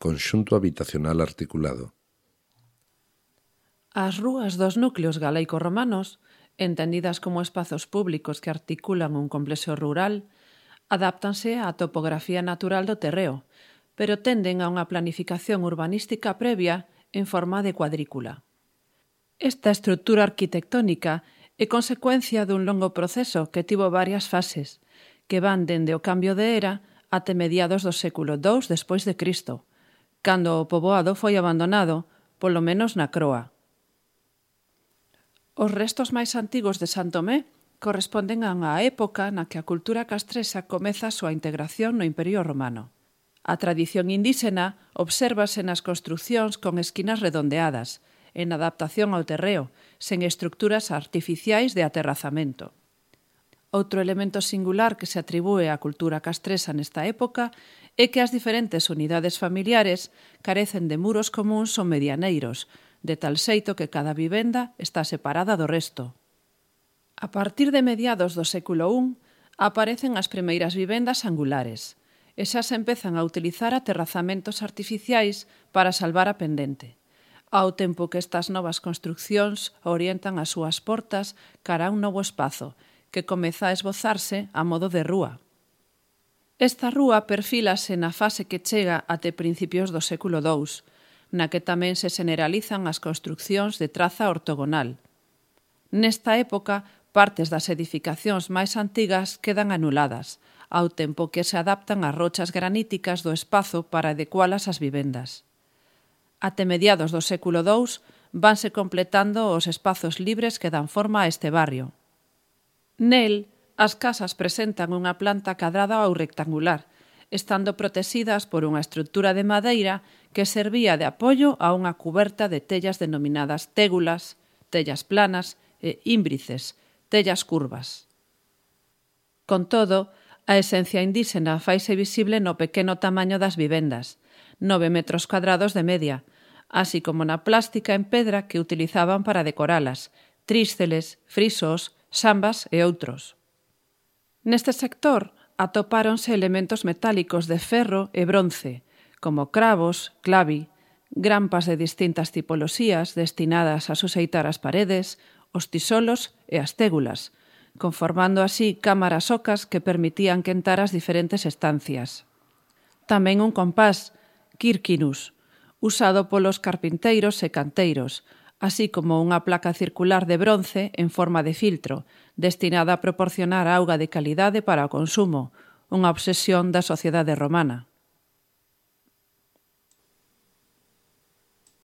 conxunto habitacional articulado. As rúas dos núcleos galeico-romanos, entendidas como espazos públicos que articulan un complexo rural, adáptanse á topografía natural do terreo, pero tenden a unha planificación urbanística previa en forma de cuadrícula. Esta estrutura arquitectónica é consecuencia dun longo proceso que tivo varias fases, que van dende o cambio de era até mediados do século II despois de Cristo, cando o poboado foi abandonado, polo menos na Croa. Os restos máis antigos de San Tomé corresponden a unha época na que a cultura castresa comeza a súa integración no Imperio Romano. A tradición indíxena obsérvase nas construcións con esquinas redondeadas, en adaptación ao terreo, sen estructuras artificiais de aterrazamento. Outro elemento singular que se atribúe á cultura castresa nesta época é que as diferentes unidades familiares carecen de muros comúns ou medianeiros, de tal xeito que cada vivenda está separada do resto. A partir de mediados do século I aparecen as primeiras vivendas angulares, e xa se empezan a utilizar aterrazamentos artificiais para salvar a pendente, ao tempo que estas novas construccións orientan as súas portas cara a un novo espazo, que comeza a esbozarse a modo de rúa. Esta rúa perfílase na fase que chega até principios do século II, na que tamén se generalizan as construccións de traza ortogonal. Nesta época, partes das edificacións máis antigas quedan anuladas, ao tempo que se adaptan as rochas graníticas do espazo para adecualas ás vivendas. Até mediados do século II vanse completando os espazos libres que dan forma a este barrio. Nel, as casas presentan unha planta cadrada ou rectangular, estando protexidas por unha estrutura de madeira que servía de apoio a unha cuberta de tellas denominadas tégulas, tellas planas e ímbrices, tellas curvas. Con todo, a esencia indíxena faise visible no pequeno tamaño das vivendas, 9 metros cuadrados de media, así como na plástica en pedra que utilizaban para decoralas, trísceles, frisos, xambas e outros. Neste sector atopáronse elementos metálicos de ferro e bronce, como cravos, clavi, grampas de distintas tipoloxías destinadas a suxeitar as paredes, os tisolos e as tégulas, conformando así cámaras ocas que permitían quentar as diferentes estancias. Tamén un compás, quirquinus, usado polos carpinteiros e canteiros, así como unha placa circular de bronce en forma de filtro, destinada a proporcionar auga de calidade para o consumo, unha obsesión da sociedade romana.